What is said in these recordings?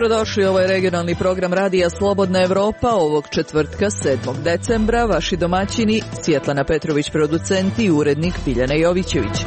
Dobrodošli, ovo je regionalni program Radija Slobodna Evropa ovog četvrtka 7. decembra. Vaši domaćini Svjetlana Petrović, producent i urednik Biljana Jovićević.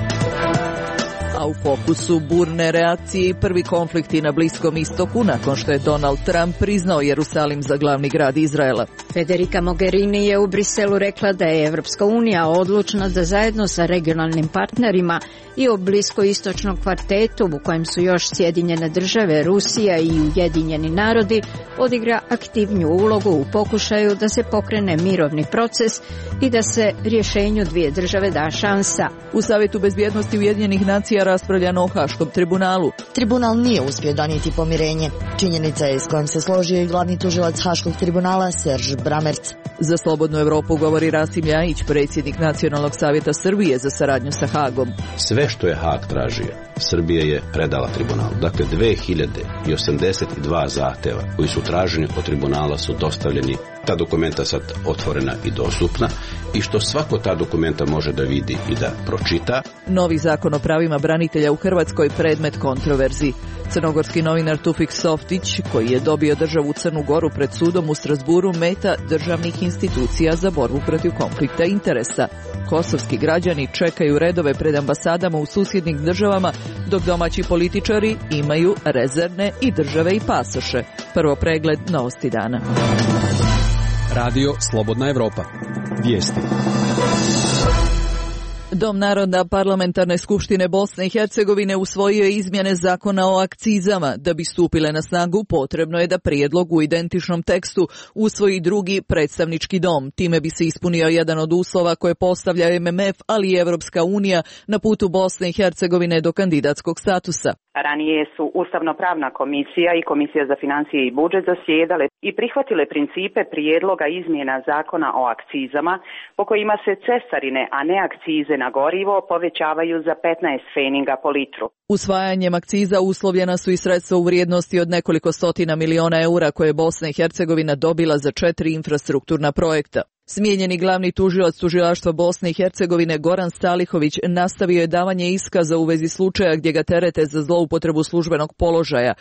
A u fokusu burne reakcije i prvi konflikti na Bliskom istoku nakon što je Donald Trump priznao Jerusalim za glavni grad Izraela. Federica Mogherini je u Briselu rekla da je Evropska unija odlučna da zajedno sa regionalnim partnerima i u bliskoistočnom kvartetu u kojem su još Sjedinjene države, Rusija i Ujedinjeni narodi odigra aktivniju ulogu u pokušaju da se pokrene mirovni proces i da se rješenju dvije države da šansa. U Savjetu bezbjednosti Ujedinjenih nacija raspravljano o Haškom tribunalu. Tribunal nije uspio donijeti pomirenje. Činjenica je s kojom se složio i glavni tužilac Haškog tribunala Serž Bramerc. Za Slobodnu Evropu govori Rasim Ljajić, predsjednik Nacionalnog savjeta Srbije za saradnju sa Hagom. Sve što je Hag tražio, Srbija je predala tribunalu. Dakle, 2082 zahtjeva koji su traženi od tribunala su dostavljeni. Ta dokumenta sad otvorena i dostupna i što svako ta dokumenta može da vidi i da pročita. Novi zakon o pravima branitelja u Hrvatskoj predmet kontroverzi. Crnogorski novinar Tufik Softić, koji je dobio državu Crnu Goru pred sudom u Strasburu, meta državnih institucija za borbu protiv konflikta interesa. Kosovski građani čekaju redove pred ambasadama u susjednim državama, dok domaći političari imaju rezervne i države i pasoše. Prvo pregled novosti dana. Radio Slobodna Evropa. Vijesti. Dom naroda Parlamentarne skupštine Bosne i Hercegovine usvojio je izmjene zakona o akcizama. Da bi stupile na snagu, potrebno je da prijedlog u identičnom tekstu usvoji drugi predstavnički dom. Time bi se ispunio jedan od uslova koje postavlja MMF, ali i Evropska unija na putu Bosne i Hercegovine do kandidatskog statusa. Ranije su Ustavno-pravna komisija i Komisija za financije i budžet zasjedale i prihvatile principe prijedloga izmjena zakona o akcizama po kojima se cestarine, a ne akcize na gorivo povećavaju za 15 pfeninga po litru. Usvajanjem akciza uslovljena su i sredstva u vrijednosti od nekoliko stotina miliona eura koje je Bosna i Hercegovina dobila za 4 infrastrukturna projekta. Smijenjeni glavni tužilac tužilaštva Bosne i Hercegovine Goran Stalihović nastavio je davanje iskaza u vezi slučaja gdje ga terete za zloupotrebu službenog položaja.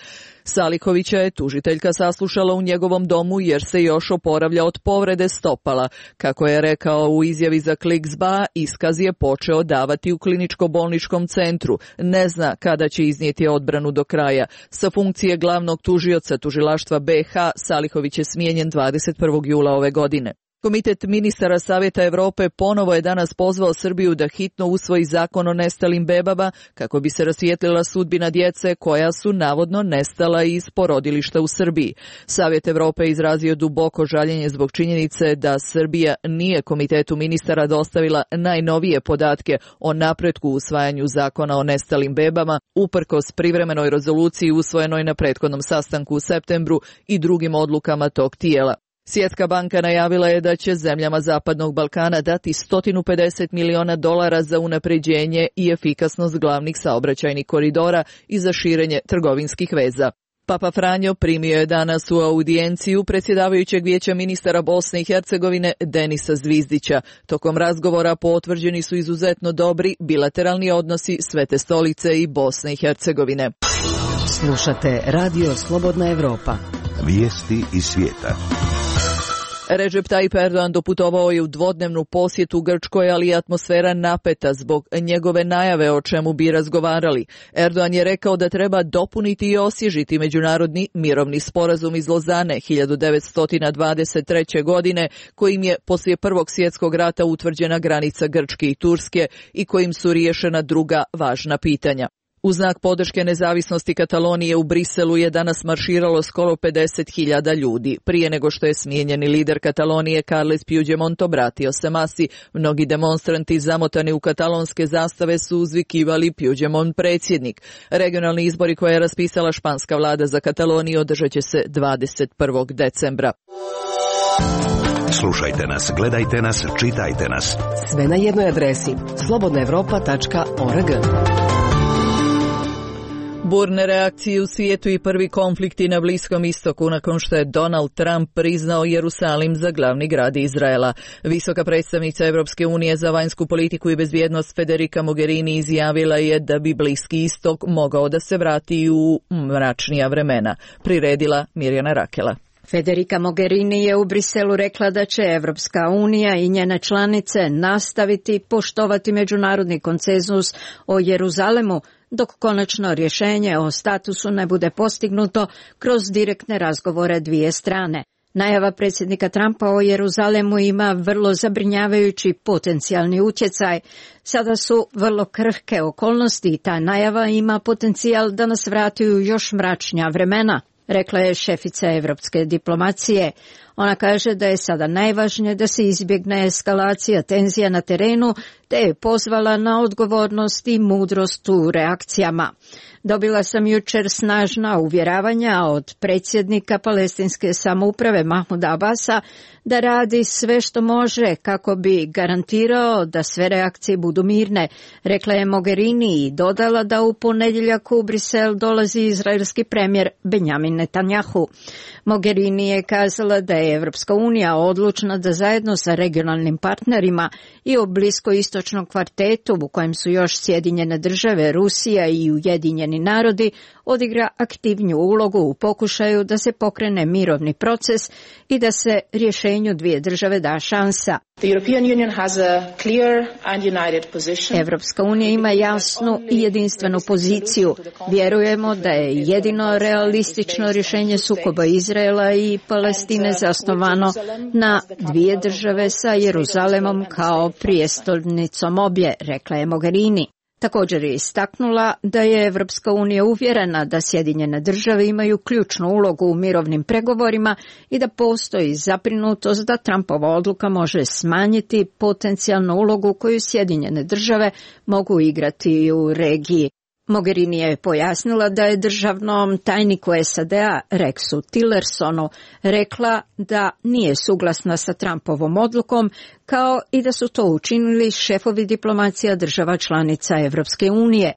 Stalihovića je tužiteljka saslušala u njegovom domu jer se još oporavlja od povrede stopala. Kako je rekao u izjavi za Kliksba, iskaz je počeo davati u kliničko-bolničkom centru. Ne zna kada će iznijeti odbranu do kraja. Sa funkcije glavnog tužioca tužilaštva BiH Stalihović je smijenjen 21. jula ove godine. Komitet ministara Savjeta Europe ponovo je danas pozvao Srbiju da hitno usvoji zakon o nestalim bebama kako bi se rasvijetlila sudbina djece koja su navodno nestala iz porodilišta u Srbiji. Savjet Europe je izrazio duboko žaljenje zbog činjenice da Srbija nije komitetu ministara dostavila najnovije podatke o napretku u usvajanju zakona o nestalim bebama, uprkos privremenoj rezoluciji usvojenoj na prethodnom sastanku u septembru i drugim odlukama tog tijela. Svjetska banka najavila je da će zemljama Zapadnog Balkana dati $150 miliona za unapređenje i efikasnost glavnih saobraćajnih koridora i za širenje trgovinskih veza. Papa Franjo primio je danas u audijenciju predsjedavajućeg vijeća ministara Bosne i Hercegovine Denisa Zvizdića. Tokom razgovora potvrđeni su izuzetno dobri bilateralni odnosi Svete stolice i Bosne i Hercegovine. Slušate Radio Slobodna Evropa. Vijesti iz svijeta. Recep Tayyip Erdogan doputovao je u dvodnevnu posjetu Grčkoj, ali je atmosfera napeta zbog njegove najave o čemu bi razgovarali. Erdogan je rekao da treba dopuniti i osvježiti međunarodni mirovni sporazum iz Lozane 1923. godine, kojim je poslije Prvog svjetskog rata utvrđena granica Grčke i Turske i kojim su riješena druga važna pitanja. U znak podrške nezavisnosti Katalonije u Briselu je danas marširalo skoro 50.000 ljudi. Prije nego što je smijenjeni lider Katalonije Carles Puigdemont obratio se masi, mnogi demonstranti zamotani u katalonske zastave su uzvikivali Puigdemont predsjednik. Regionalni izbori koje je raspisala španska vlada za Kataloniju održat će se 21. decembra. Slušajte nas, gledajte nas, čitajte nas. Sve na jednoj adresi slobodnaevropa.org. Burne reakcije u svijetu i prvi konflikti na Bliskom istoku nakon što je Donald Trump priznao Jerusalim za glavni grad Izraela. Visoka predstavnica Europske unije za vanjsku politiku i bezbjednost Federica Mogherini izjavila je da bi Bliski istok mogao da se vrati u mračnija vremena. Priredila Mirjana Rakela. Federica Mogherini je u Briselu rekla da će Evropska unija i njene članice nastaviti poštovati međunarodni konsenzus o Jeruzalemu dok konačno rješenje o statusu ne bude postignuto kroz direktne razgovore dvije strane. Najava predsjednika Trumpa o Jeruzalemu ima vrlo zabrinjavajući potencijalni utjecaj. Sada su vrlo krhke okolnosti i ta najava ima potencijal da nas vrati u još mračnija vremena, rekla je šefica evropske diplomacije. Ona kaže da je sada najvažnije da se izbjegne eskalacija tenzija na terenu, te je pozvala na odgovornost i mudrost u reakcijama. Dobila sam jučer snažna uvjeravanja od predsjednika palestinske samouprave Mahmuda Abasa da radi sve što može kako bi garantirao da sve reakcije budu mirne, rekla je Mogherini i dodala da u ponedjeljak u Brisel dolazi izraelski premijer Benjamin Netanjahu. Mogherini je kazala da je Evropska unija odlučna da zajedno sa regionalnim partnerima i o bliskoistočnom kvartetu u kojem su još Sjedinjene države, Rusija i Ujedinjeni narodi odigra aktivniju ulogu u pokušaju da se pokrene mirovni proces i da se rješenju dvije države da šansa. Evropska unija ima jasnu i jedinstvenu poziciju. Vjerujemo da je jedino realistično rješenje sukoba Izraela i Palestine zasnovano na dvije države sa Jeruzalemom kao prijestolnicom obje, rekla je Mogherini. Također je istaknula da je Evropska unija uvjerena da Sjedinjene države imaju ključnu ulogu u mirovnim pregovorima i da postoji zabrinutost da Trumpova odluka može smanjiti potencijalnu ulogu koju Sjedinjene države mogu igrati u regiji. Mogherini je pojasnila da je državnom tajniku SAD-a Rexu Tillersonu rekla da nije suglasna sa Trumpovom odlukom, kao i da su to učinili šefovi diplomacija država članica Evropske unije.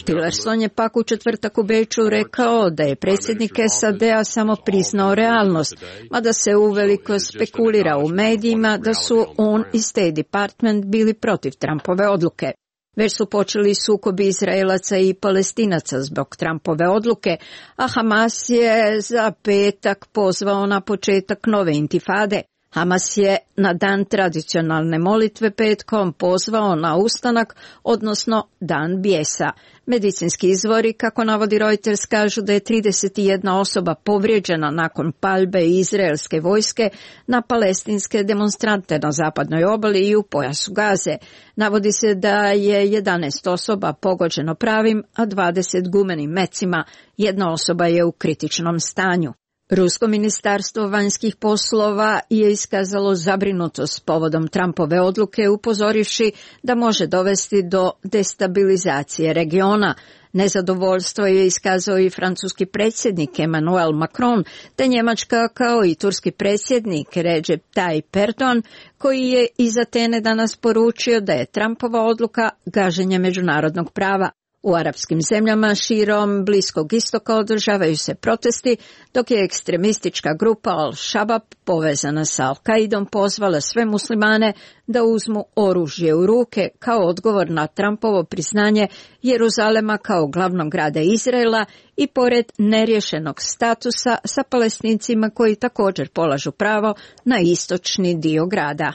Tillerson je pak u četvrtak u Beču rekao da je predsjednik SAD-a samo priznao realnost, mada se uveliko spekulira u medijima da su on i State Department bili protiv Trumpove odluke. Već su počeli sukobi Izraelaca i Palestinaca zbog Trumpove odluke, a Hamas je za petak pozvao na početak nove intifade. Hamas je na dan tradicionalne molitve petkom pozvao na ustanak, odnosno dan bijesa. Medicinski izvori, kako navodi Reuters, kažu da je 31 osoba povrijeđena nakon paljbe izraelske vojske na palestinske demonstrante na zapadnoj obali i u pojasu Gaze. Navodi se da je 11 osoba pogođeno pravim, a 20 gumenim mecima. Jedna osoba je u kritičnom stanju. Rusko ministarstvo vanjskih poslova je iskazalo zabrinutost povodom Trumpove odluke, upozorivši da može dovesti do destabilizacije regiona. Nezadovoljstvo je iskazao i francuski predsjednik Emmanuel Macron, te Njemačka kao i turski predsjednik Recep Tayyip Erdogan, koji je iz Atene danas poručio da je Trumpova odluka gaženje međunarodnog prava. U arapskim zemljama širom Bliskog istoka održavaju se protesti, dok je ekstremistička grupa Al-Shabaab povezana sa Al-Qaidom pozvala sve muslimane da uzmu oružje u ruke kao odgovor na Trumpovo priznanje Jeruzalema kao glavnog grada Izraela i pored neriješenog statusa sa Palestincima koji također polažu pravo na istočni dio grada.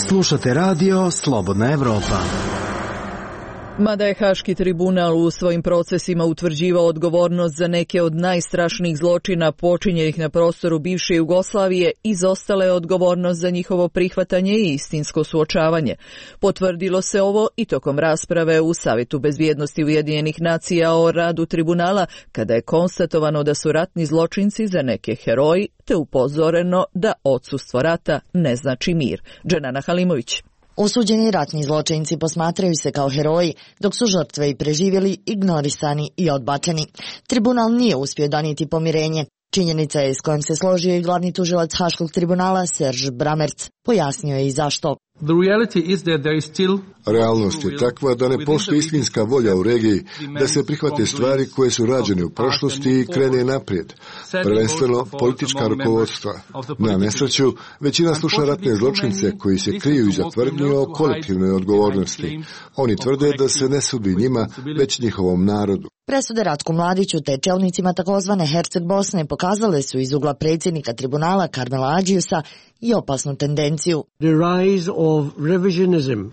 Slušate radio Slobodna Evropa. Mada je Haški tribunal u svojim procesima utvrđivao odgovornost za neke od najstrašnijih zločina počinjenih na prostoru bivše Jugoslavije, izostala je odgovornost za njihovo prihvatanje i istinsko suočavanje. Potvrdilo se ovo i tokom rasprave u Savjetu bezbjednosti Ujedinjenih nacija o radu tribunala, kada je konstatovano da su ratni zločinci za neke heroji, te upozoreno da odsustvo rata ne znači mir. Dženana Halimović. Osuđeni ratni zločinci posmatraju se kao heroji, dok su žrtve i preživjeli ignorisani i odbačeni. Tribunal nije uspio donijeti pomirenje. Činjenica je s kojom se složio i glavni tužilac Haškog tribunala Serge Bramertz. Pojasnio je i zašto. The reality is that there is still Realnost je takva da ne postoji istinska volja u regiji da se prihvate stvari koje su rađene u prošlosti i krene naprijed, prvenstveno politička rukovodstva. Na nesreću, većina sluša ratne zločince koji se kriju iza tvrdnji o kolektivnoj odgovornosti. Oni tvrde da se ne sudi njima, već njihovom narodu. Presude Ratku Mladiću te čelnicima takozvane Herceg Bosne pokazale su iz ugla predsjednika tribunala Karmela Adžiusa i opasnu tendenciju.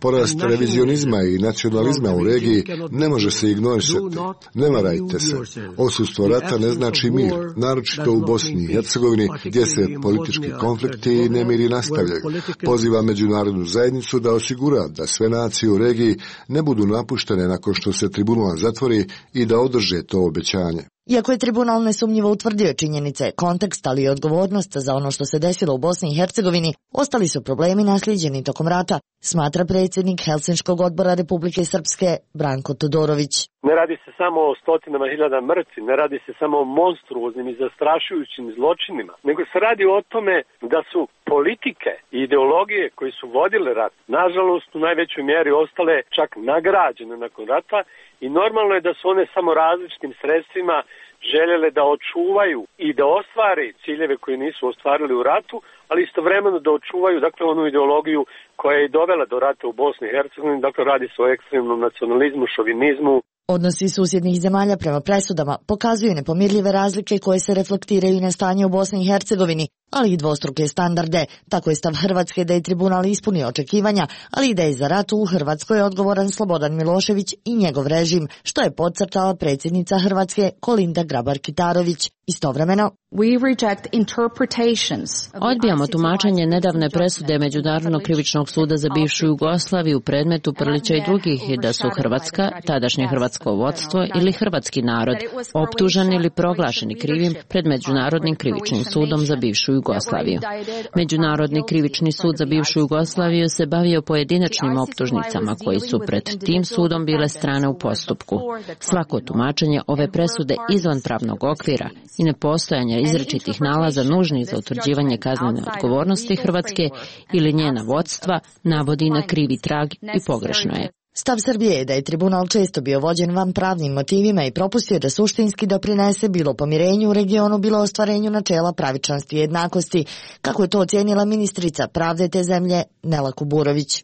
Porast revizionizma i nacionalizma u regiji ne može se ignorisati. Ne varajte se. Odsustvo rata ne znači mir, naročito u Bosni i Hercegovini, gdje se politički konflikti i nemiri nastavljaju. Poziva međunarodnu zajednicu da osigura da sve nacije u regiji ne budu napuštene nakon što se tribunal zatvori i da održe to obećanje. Iako je tribunal nesumnjivo utvrdio činjenice, kontekst, ali i odgovornost za ono što se desilo u Bosni i Hercegovini, ostali su problemi naslijeđeni tokom rata, smatra predsjednik Helsinškog odbora Republike Srpske Branko Todorović. Ne radi se samo o stotinama hiljada mrtvih, ne radi se samo o monstruoznim i zastrašujućim zločinima, nego se radi o tome da su politike i ideologije koji su vodile rat, nažalost u najvećoj mjeri ostale čak nagrađene nakon rata i normalno je da su one samo različitim sredstvima željele da očuvaju i da ostvare ciljeve koje nisu ostvarili u ratu, ali istovremeno da očuvaju onu ideologiju koja je dovela do rata u Bosni i Hercegovini, radi se o ekstremnom nacionalizmu, šovinizmu. Odnosi susjednih zemalja prema presudama pokazuju nepomirljive razlike koje se reflektiraju i na stanje u Bosni i Hercegovini, ali i dvostruke standarde. Tako je stav Hrvatske da je tribunal ispunio očekivanja, ali i da je za rat u Hrvatskoj odgovoran Slobodan Milošević i njegov režim, što je podcrtala predsjednica Hrvatske Kolinda Grabar-Kitarović. Istovremeno, odbijamo tumačenje nedavne presude Međunarodnog krivičnog suda za bivšu Jugoslaviju u predmetu Prlića i drugih da su Hrvatska, tadašnje hrvatsko vodstvo ili hrvatski narod optuženi ili proglašeni krivim pred Međunarodnim krivičnim sudom za bivšu Jugoslaviju. Međunarodni krivični sud za bivšu Jugoslaviju se bavio pojedinačnim optužnicama koji su pred tim sudom bile strane u postupku. Svako tumačenje ove presude izvan pravnog okvira i nepostojanja izričitih nalaza nužnih za utvrđivanje kaznene odgovornosti Hrvatske ili njena vodstva navodi na krivi trag i pogrešno je. Stav Srbije je da je tribunal često bio vođen van pravnim motivima i propustio da suštinski doprinese bilo pomirenju u regionu, bilo ostvarenju načela pravičnosti i jednakosti, kako je to ocijenila ministrica pravde te zemlje Nela Kuburović.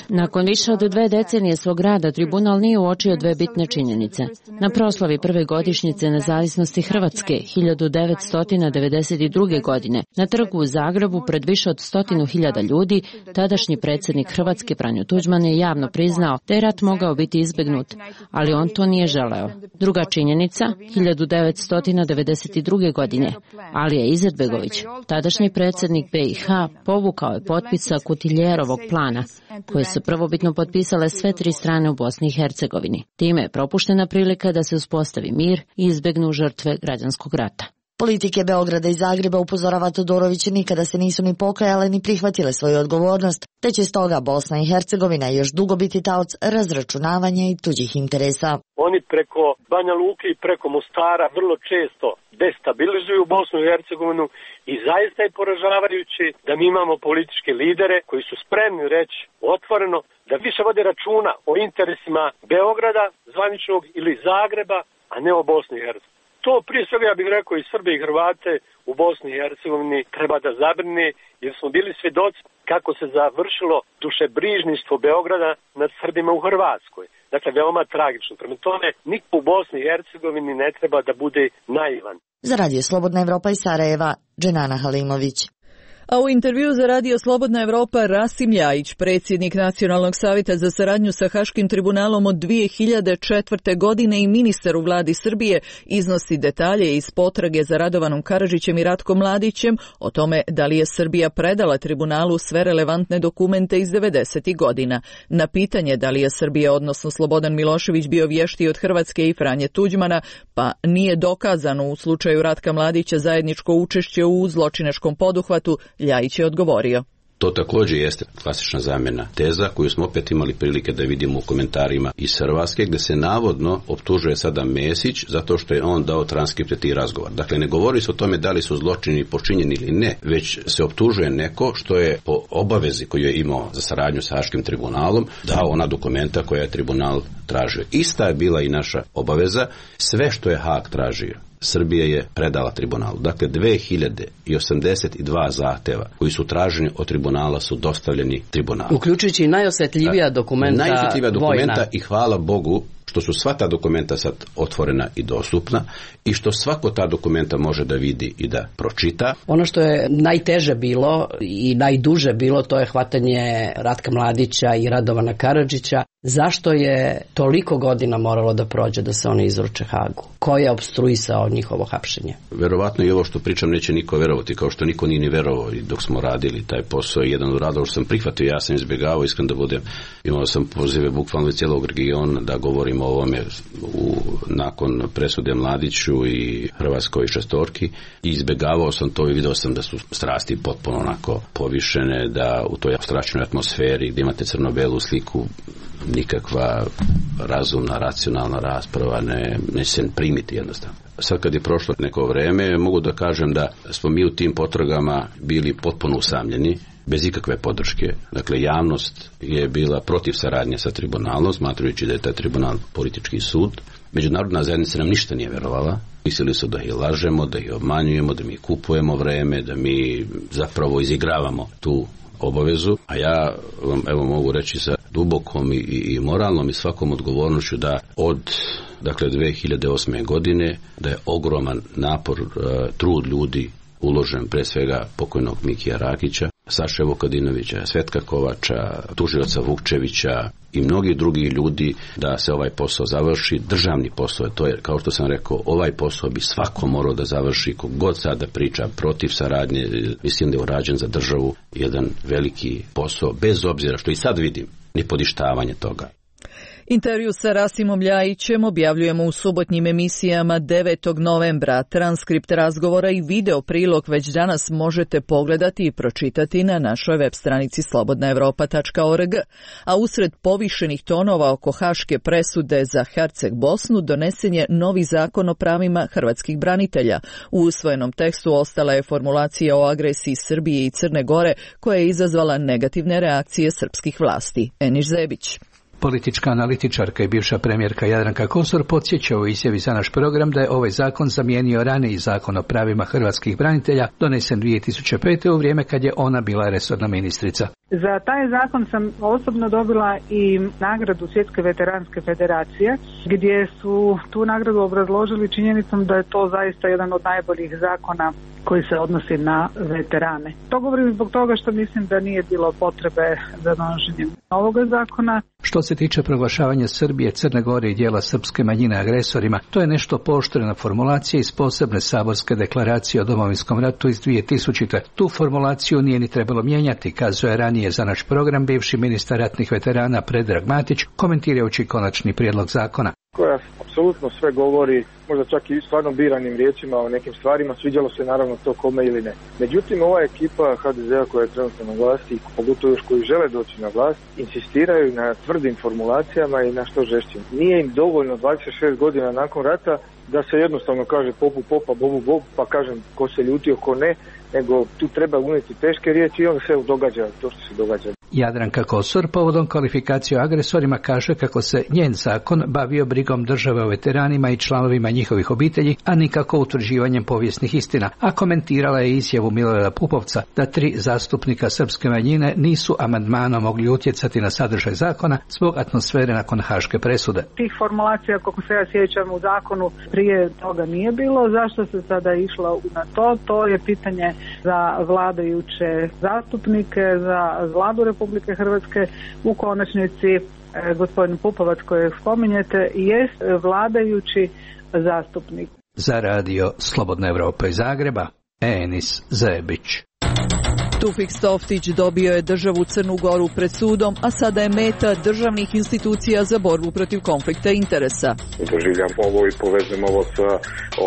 Nakon više od 2 decenije svog rada, tribunal nije uočio 2 bitne činjenice. Na proslavi prve godišnjice nezavisnosti Hrvatske 1992. godine na trgu u Zagrebu pred više od 100.000 ljudi, tadašnji predsjednik Hrvatske Franjo Tuđman je javno priznao da je rat mogao biti izbegnut, ali on to nije želeo. Druga činjenica, 1992. godine, Alija Izetbegović, tadašnji predsjednik BiH, povukao je potpisa Kutiljerovog plana, koje su prvobitno potpisale sve 3 strane u Bosni i Hercegovini. Time je propuštena prilika da se uspostavi mir i izbegnu žrtve građanskog rata. Politike Beograda i Zagreba, upozorava Todorović, nikada se nisu ni pokajale ni prihvatile svoju odgovornost, te će stoga Bosna i Hercegovina još dugo biti taoc razračunavanja i tuđih interesa. Oni preko Banja Luke i preko Mostara vrlo često destabilizuju Bosnu i Hercegovinu i zaista je poražavajuće da mi imamo političke lidere koji su spremni reći otvoreno da više vode računa o interesima Beograda, zvaničnog, ili Zagreba, a ne o Bosni i Hercegovini. To prije svega, ja bih rekao, i Srbe i Hrvate u Bosni i Hercegovini treba da zabrine, jer smo bili svjedoci kako se završilo dušebrižništvo Beograda nad Srbima u Hrvatskoj. Dakle, veoma tragično. Prema tome, niko u Bosni i Hercegovini ne treba da bude naivan. Za Radio Slobodna Evropa iz Sarajeva, Dženana Halimović. A u intervju za Radio Slobodna Evropa Rasim Ljajić, predsjednik Nacionalnog savjeta za saradnju sa Haškim tribunalom od 2004. godine i ministar u vladi Srbije, iznosi detalje iz potrage za Radovanom Karadžićem i Ratkom Mladićem o tome da li je Srbija predala tribunalu sve relevantne dokumente iz 90. godina. Na pitanje da li je Srbija, odnosno Slobodan Milošević, bio vještiji od Hrvatske i Franje Tuđmana, pa nije dokazano u slučaju Ratka Mladića zajedničko učešće u zločinačkom poduhvatu, Ljajić je odgovorio. To također jeste klasična zamjena teza koju smo opet imali prilike da vidimo u komentarima iz Hrvatske, gdje se navodno optužuje sada Mesić zato što je on dao transkripte tih razgovora. Dakle, ne govori se o tome da li su zločini počinjeni ili ne, već se optužuje neko što je po obavezi koju je imao za saradnju sa Haškim tribunalom dao ona dokumenta koja je tribunal tražio. Ista je bila i naša obaveza. Sve što je Haag tražio, Srbija je predala tribunalu. Dakle, 2082 zahteva koji su traženi od tribunala su dostavljeni tribunalu. Uključujući i najosjetljivija dokumenta vojna. I hvala Bogu što su sva ta dokumenta sad otvorena i dostupna i što svako ta dokumenta može da vidi i da pročita. Ono što je najteže bilo i najduže bilo, to je hvatanje Ratka Mladića i Radovana Karadžića. Zašto je toliko godina moralo da prođe da se oni izruče Hagu? Ko je opstruisao njihovo hapšenje? Verovatno i ovo što pričam neće niko verovati, kao što niko nije ni verovao i dok smo radili taj posao. Jedan od radova što sam prihvatio, ja sam izbjegavao, iskren da budem, imao sam pozive bukvalno iz cijelog regiona da govorim o ovome nakon presude Mladiću i Hrvatskoj šestorki i izbjegavao sam to i vidio sam da su strasti potpuno onako povišene, da u toj apstraktnoj atmosferi gdje imate crno-belu sliku nikakva razumna, racionalna rasprava ne se primiti jednostavno. Sad kad je prošlo neko vreme, mogu da kažem da smo mi u tim potragama bili potpuno usamljeni, bez ikakve podrške. Dakle, javnost je bila protiv saradnje sa tribunalom, smatrajući da je taj tribunal politički sud. Međunarodna zajednica nam ništa nije verovala. Mislili su da ih lažemo, da ih obmanjujemo, da mi kupujemo vreme, da mi zapravo izigravamo tu obavezu, a ja vam evo mogu reći sa dubokom i moralnom i svakom odgovornošću da od 2008. godine da je ogroman napor, trud ljudi uložen pre svega pokojnog Mikija Rakića, Saše Vukadinovića, Svetka Kovača, tužioca Vukčevića i mnogi drugi ljudi da se ovaj posao završi. Državni posao, to je, kao što sam rekao, ovaj posao bi svako morao da završi, kogod sada priča protiv saradnje, mislim da je urađen za državu jedan veliki posao, bez obzira što i sad vidim nepodištavanje toga. Intervju sa Rasimom Ljajićem objavljujemo u subotnjim emisijama 9. novembra. Transkript razgovora i video prilog već danas možete pogledati i pročitati na našoj web stranici slobodnaevropa.org. A usred povišenih tonova oko haške presude za Herceg Bosnu donesen je novi zakon o pravima hrvatskih branitelja. U usvojenom tekstu ostala je formulacija o agresiji Srbije i Crne Gore koja je izazvala negativne reakcije srpskih vlasti. Eniš Zebić. Politička analitičarka i bivša premijerka Jadranka Kosor podsjeća u izjavi za naš program da je ovaj zakon zamijenio raniji zakon o pravima hrvatskih branitelja donesen 2005. u vrijeme kad je ona bila resorna ministrica. Za taj zakon sam osobno dobila i nagradu Svjetske veteranske federacije, gdje su tu nagradu obrazložili činjenicom da je to zaista jedan od najboljih zakona koji se odnosi na veterane. To govorim zbog toga što mislim da nije bilo potrebe za donošenjem ovoga zakona. Što se tiče proglašavanja Srbije, Crne Gore i dijela srpske manjine agresorima, to je nešto pooštrena formulacija iz posebne saborske deklaracije o Domovinskom ratu iz 2000. Tu formulaciju nije ni trebalo mijenjati, kazuje ranije za naš program bivši ministar ratnih veterana Predrag Matić, komentirajući konačni prijedlog zakona. Koja apsolutno sve govori, možda čak i stvarno biranim riječima o nekim stvarima, sviđalo se naravno to kome ili ne. Međutim, ova ekipa HDZ-a koja je trenutno na vlasti, i pogotovo još koji žele doći na vlast, insistiraju na tvrdim formulacijama i na što žešćim. Nije im dovoljno 26 godina nakon rata da se jednostavno kaže popu popa, bobu bob, pa kažem ko se ljutio, ko ne, nego tu treba unijeti teške riječi i onda se događa to što se događa. Jadranka Kosor povodom kvalifikacije o agresorima kaže kako se njen zakon bavio brigom države o veteranima i članovima njihovih obitelji, a nikako utvrđivanjem povijesnih istina, a komentirala je izjavu Milorada Pupovca da 3 zastupnika srpske manjine nisu amandmanom mogli utjecati na sadržaj zakona zbog atmosfere nakon haške presude. Tih formulacija, kako se ja sjećam, u zakonu prije toga nije bilo. Zašto se sada išlo na to? To je pitanje za vladajuće zastupnike, za vladu Republike Hrvatske. U konačnici gospodin Pupovac kojeg spominjete jest vladajući zastupnik. Za radio Slobodna Evropa iz Zagreba, Enis Zebić. Tufik Stoftić dobio je državu Crnu Goru pred sudom, a sada je meta državnih institucija za borbu protiv konflikta interesa. Doživljam ovo i povezujem ovo sa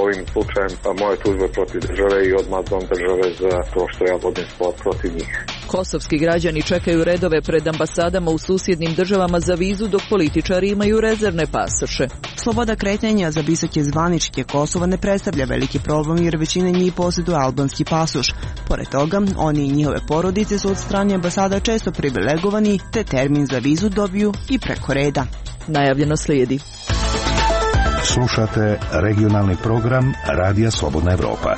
ovim slučajem moje tužbe protiv države i odmazdom države za to što ja vodim spor protiv njih. Kosovski građani čekaju redove pred ambasadama u susjednim državama za vizu dok političari imaju rezervne pasoše. Sloboda kretanja za visoke zvaničnike Kosova ne predstavlja veliki problem jer većina njih posjeduje albanski pasoš. Pored toga, oni i njihove porodice su od strane ambasada često privilegovani te termin za vizu dobiju i preko reda. Najavljeno slijedi. Slušate regionalni program Radija Slobodna Evropa.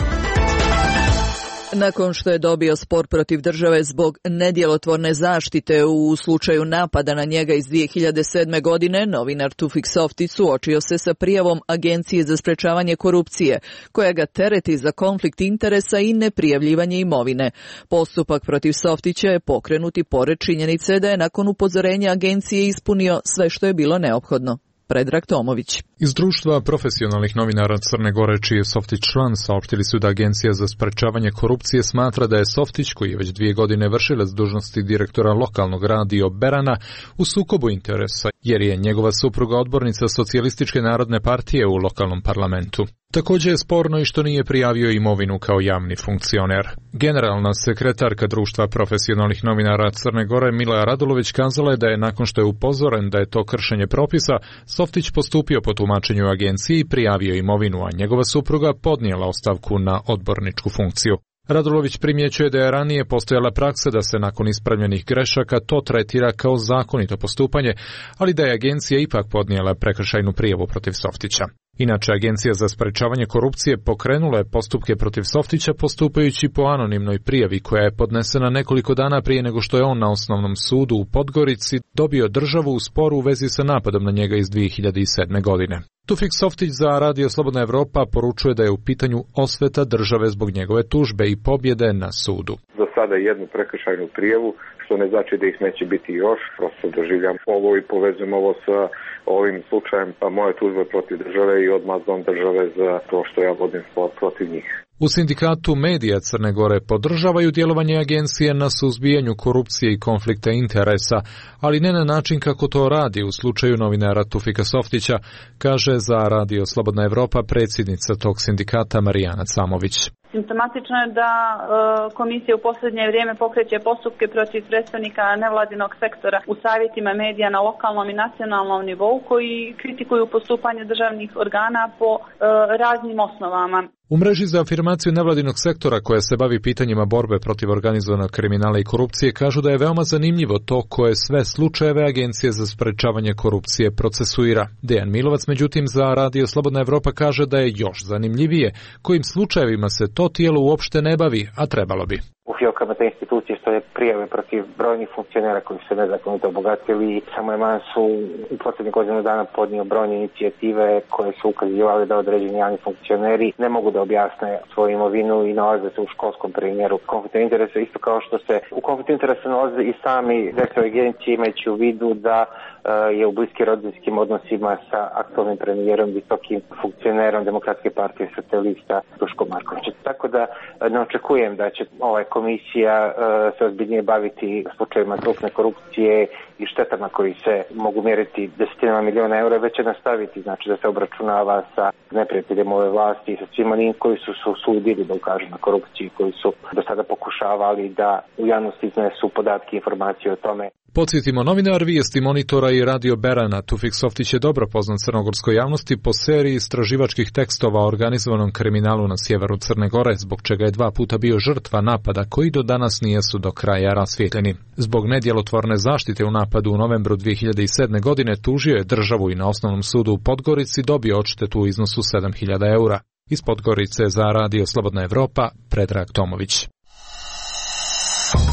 Nakon što je dobio spor protiv države zbog nedjelotvorne zaštite u slučaju napada na njega iz 2007. godine, novinar Tufik Softić suočio se sa prijavom Agencije za sprečavanje korupcije, koja ga tereti za konflikt interesa i neprijavljivanje imovine. Postupak protiv Softića je pokrenut i pored činjenice da je nakon upozorenja agencije ispunio sve što je bilo neophodno. Predrag Tomović. Iz društva profesionalnih novinara Crne Gore, čiji je Softić član, saopštili su da Agencija za sprečavanje korupcije smatra da je Softić, koji je već 2 godine vršilac dužnosti direktora lokalnog radio Berana, u sukobu interesa, jer je njegova supruga odbornica Socijalističke narodne partije u lokalnom parlamentu. Također je sporno i što nije prijavio imovinu kao javni funkcioner. Generalna sekretarka društva profesionalnih novinara Crne Gore, Mila Radulović, kazala je da je nakon što je upozoren da je to kršenje propisa, Softić postupio po tumačenju agencije i prijavio imovinu, a njegova supruga podnijela ostavku na odborničku funkciju. Radulović primjećuje da je ranije postojala praksa da se nakon ispravljenih grešaka to tretira kao zakonito postupanje, ali da je agencija ipak podnijela prekršajnu prijavu protiv Softića. Inače, Agencija za sprečavanje korupcije pokrenula je postupke protiv Softića postupajući po anonimnoj prijavi koja je podnesena nekoliko dana prije nego što je on na osnovnom sudu u Podgorici dobio državu u sporu u vezi sa napadom na njega iz 2007. godine. Tufik Softić za Radio Slobodna Evropa poručuje da je u pitanju osveta države zbog njegove tužbe i pobjede na sudu. Za sada jednu prekršajnu prijavu, što ne znači da ih neće biti još, prosto doživljam ovo i povezujem ovo sa ovim slučajem, pa moja tužba protiv države i odmazdom države za to što ja vodim spor protiv njih. U sindikatu medija Crne Gore podržavaju djelovanje agencije na suzbijanju korupcije i konflikta interesa, ali ne na način kako to radi u slučaju novinara Tufika Softića, kaže za Radio Slobodna Evropa predsjednica tog sindikata Marijana Camović. Simptomatično je da komisija u posljednje vrijeme pokreće postupke protiv predstavnika nevladinog sektora u savjetima medija na lokalnom i nacionalnom nivou koji kritikuju postupanje državnih organa po raznim osnovama. U mreži za afirmaciju nevladinog sektora koja se bavi pitanjima borbe protiv organizovanog kriminala i korupcije kažu da je veoma zanimljivo to koje sve slučajeve Agencije za sprečavanje korupcije procesuira. Dejan Milovac, međutim, za Radio Slobodna Evropa kaže da je još zanimljivije kojim slučajevima se to tijelo uopšte ne bavi, a trebalo bi. U fijokama te institucije stoje prijave protiv brojnih funkcionera koji su se nezakonito obogatili. Samo je Mansu u posljednjih godinu dana podnio brojne inicijative koje su ukazivali da određeni javni funkcioneri ne mogu da objasne svoju imovinu i nalaze se u školskom primjeru konflikta interesa, isto kao što se u konfliktu interesa nalaze i sami direktori agencije, imajući u vidu da je u bliskim rodbinskim odnosima sa aktualnim premijerom, visokim funkcionerom Demokratske partije socijalista Duškom Markovićem. Tako da ne očekujem da će komisija se ozbiljnije baviti slučajevima krupne korupcije i štetama koji se mogu mjeriti desetinama miliona eura, već će nastaviti, znači da se obračunava sa neprijateljem ove vlasti i sa svim onim koji su se usudili da ukažu na korupciju, koji su do sada pokušavali da u javnosti iznesu podatke i informacije o tome. Podsjetimo, novinar Vijesti Monitora i Radio Berana Tufik Softić je dobro poznat crnogorskoj javnosti po seriji istraživačkih tekstova o organizovanom kriminalu na sjeveru Crne Gore, zbog čega je 2 puta bio žrtva napada koji do danas nisu do kraja rasvijetljeni. Zbog nedjelotvorne zaštite u napadu u novembru 2007. godine tužio je državu i na osnovnom sudu u Podgorici dobio odštetu u iznosu 7.000 eura. Iz Podgorice za Radio Slobodna Evropa, Predrag Tomović.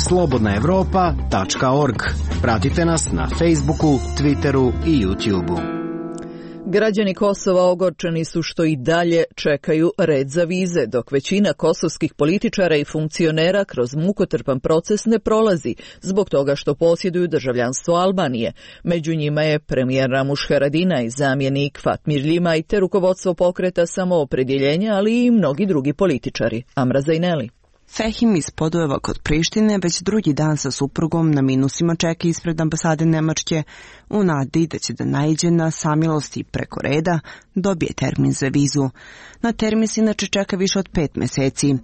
slobodnaevropa.org. Pratite nas na Facebooku, Twitteru i YouTubeu. Građani Kosova ogorčeni su što i dalje čekaju red za vize, dok većina kosovskih političara i funkcionera kroz mukotrpan proces ne prolazi, zbog toga što posjeduju državljanstvo Albanije. Među njima je premijer Ramuš Haradinaj, zamjenik Fatmir Ljimaj te rukovodstvo pokreta Samoopredjeljenja, ali i mnogi drugi političari. Amra Zajneli. Fehim iz Podujeva kod Prištine već drugi dan sa suprugom na minusima čeka ispred ambasade Nemačke u nadi da će da naiđe na samilosti preko reda dobije termin za vizu. Na termin se inače čeka više od 5 meseci.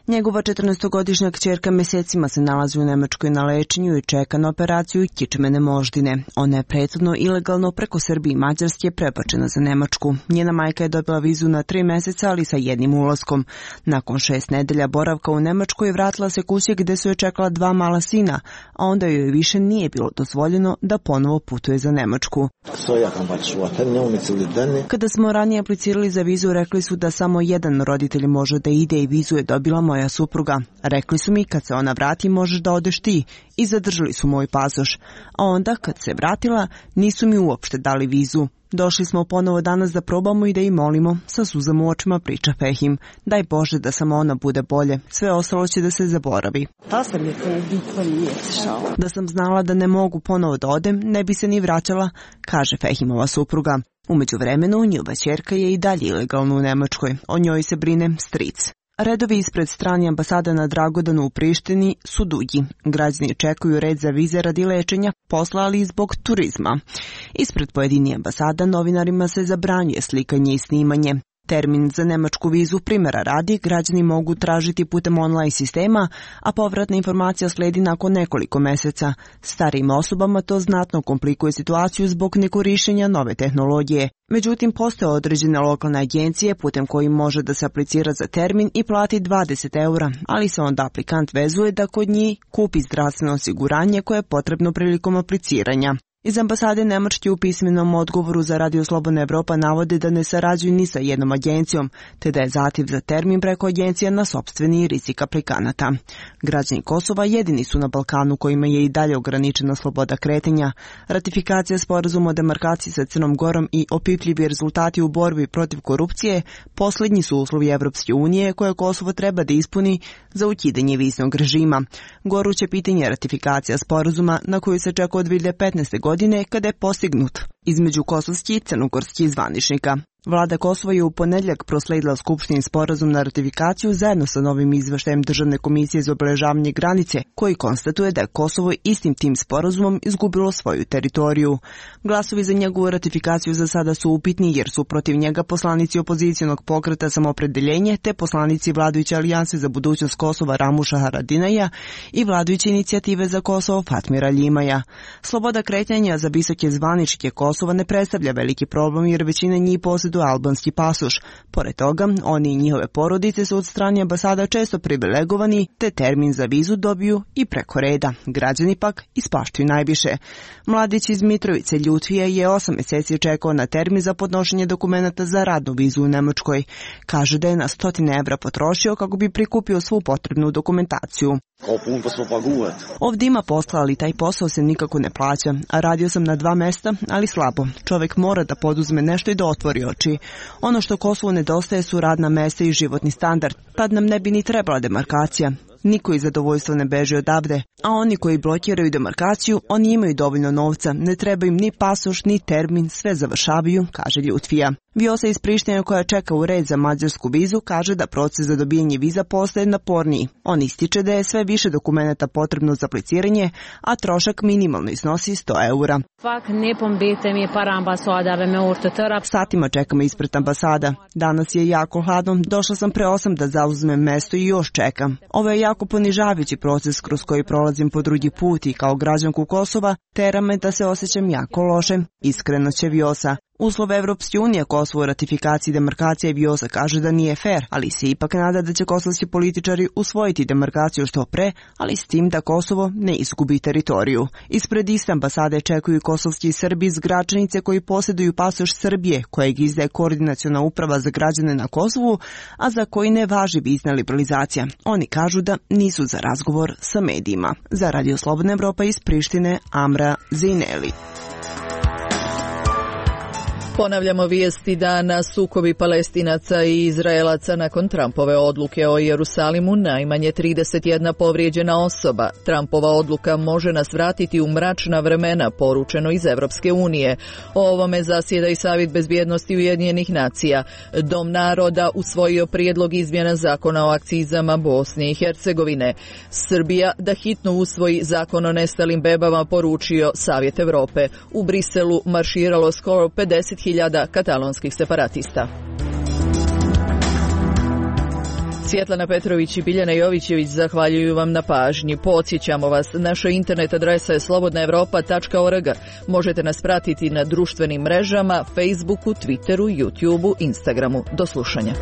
Njegova 14-godišnja kćerka mesecima se nalazi u Nemačkoj na lečenju i čeka na operaciju kičmene moždine. Ona je prethodno ilegalno preko Srbije i Mađarske prebačena za Nemačku. Njena majka je dobila vizu na 3 meseca, ali sa jednim ulaskom. Nakon 6 nedelja boravka u Nemačkoj vratila se kući gde su je čekala 2 mala sina, a onda joj više nije bilo dozvoljeno da ponovo putuje za Nemačku. Kada smo ranije aplicirali za vizu, rekli su da samo jedan roditelj može da ide i vizu je dobila moja supruga. Rekli su mi kad se ona vrati možeš da odeš ti i zadržali su moj pasoš. A onda kad se vratila nisu mi uopšte dali vizu. Došli smo ponovo danas da probamo i da im molimo, sa suzama u očima priča Fehim. Daj Bože da samo ona bude bolje, sve ostalo će da se zaboravi. Da sam znala da ne mogu ponovo da odem, ne bi se ni vraćala, kaže Fehimova supruga. U međuvremenu njihova ćerka je i dalje ilegalno u Nemačkoj, o njoj se brine stric. Redovi ispred strane ambasade na Dragodanu u Prištini su dugi. Građani čekaju red za vize radi lečenja, posla, ali i zbog turizma. Ispred pojedini ambasada novinarima se zabranjuje slikanje i snimanje. Termin za nemačku vizu primjera radi građani mogu tražiti putem online sistema, a povratna informacija sledi nakon nekoliko meseca. Starijim osobama to znatno komplikuje situaciju zbog nekorišćenja nove tehnologije. Međutim, postoje određene lokalne agencije putem kojim može da se aplicira za termin i plati 20 eura, ali se onda aplikant vezuje da kod njih kupi zdravstveno osiguranje koje je potrebno prilikom apliciranja. Iz ambasade Nemačke u pismenom odgovoru za Radio Slobodna Evropa navode da ne sarađuju ni sa jednom agencijom, te da je zahtjev za termin preko agencija na sopstveni rizik aplikanata. Građani Kosova jedini su na Balkanu kojima je i dalje ograničena sloboda kretanja. Ratifikacija sporazuma o demarkaciji sa Crnom Gorom i opipljivi rezultati u borbi protiv korupcije posljednji su uslovi Evropske unije koje Kosovo treba da ispuni za ukidanje viznog režima. Goruće pitanje ratifikacija sporazuma na koju se čeka od 2015. godine kada je postignut između kosovskih i crnogorskih zvaničnika. Vlada Kosova je u ponedjeljak prosledila Skupštini sporazum na ratifikaciju zajedno sa novim izveštajem Državne komisije za obeležavanje granice, koji konstatuje da je Kosovo istim tim sporazumom izgubilo svoju teritoriju. Glasovi za njegovu ratifikaciju za sada su upitni jer su protiv njega poslanici opozicijonog pokreta Samoopredeljenje te poslanici vladajuće alijanse za budućnost Kosova Ramuša Haradinaja i vladajuće inicijative za Kosovo Fatmira Ljimaja. Sloboda kretanja za visoke zvaničnike Kosova ne predstavlja veliki problem jer većina njih posjeduje albanski pasoš. Pored toga, oni i njihove porodice su od strane ambasada često privilegovani, te termin za vizu dobiju i preko reda. Građani pak ispaštuju najviše. Mladić iz Mitrovice Ljutvije je 8 meseci čekao na termin za podnošenje dokumenata za radnu vizu u Nemačkoj. Kaže da je na 100 evra potrošio kako bi prikupio svu potrebnu dokumentaciju. Ovdje ima posla, ali taj posao se nikako ne plaća, a radio sam na 2 mesta, ali slabo. Čovjek mora da poduzme nešto i da otvori oči. Ono što Kosovu nedostaje su radna mesta i životni standard. Tad nam ne bi ni trebala demarkacija. Niko iz zadovoljstva ne beži odavde, a oni koji blokiraju demarkaciju, oni imaju dovoljno novca, ne treba im ni pasoš, ni termin, sve završavaju, kaže Ljutvija. Vjosa iz Prištine koja čeka u red za mađarsku vizu kaže da proces za dobijanje viza postaje naporniji. On ističe da je sve više dokumenata potrebno za apliciranje, a trošak minimalno iznosi 100 eura. Satima čekamo ispred ambasada. Danas je jako hladno, došla sam pre 8 da zauzmem mesto i još čekam. Ovo je jako ponižavajući proces kroz koji prolazim po drugi put i kao građanku Kosova tera me da se osjećam jako loše, iskreno će Vjosa. Uslov Evropske unije Kosovo ratifikaciji demarkacije Vjosa kaže da nije fair, ali se ipak nada da će kosovski političari usvojiti demarkaciju što pre, ali s tim da Kosovo ne izgubi teritoriju. Ispred iste ambasade čekuju kosovski Srbi iz Gračanice koji posjeduju pasoš Srbije, kojeg izdaje Koordinaciona uprava za građane na Kosovu, a za koji ne važi vizna liberalizacija. Oni kažu da nisu za razgovor sa medijima. Za Radio Slobodna Evropa iz Prištine, Amra Zejneli. Ponavljamo vijesti dana. Sukobi Palestinaca i Izraelaca nakon Trumpove odluke o Jerusalimu, najmanje 31 povrijeđena osoba. Trumpova odluka može nas vratiti u mračna vremena, poručeno iz Evropske unije. O ovome zasjeda i Savjet bezbjednosti Ujedinjenih nacija. Dom naroda usvojio prijedlog izmjena zakona o akcizama Bosne i Hercegovine. Srbija da hitno usvoji zakon o nestalim bebama, poručio Savjet Europe. U Briselu marširalo skoro 50.000 katalonskih separatista. Svjetlana Petrović i Biljana Jovićević zahvaljuju vam na pažnji. Podsjećamo vas, naša internet adresa je slobodnaevropa.org. Možete nas pratiti na društvenim mrežama, Facebooku, Twitteru, YouTubeu, Instagramu. Do slušanja.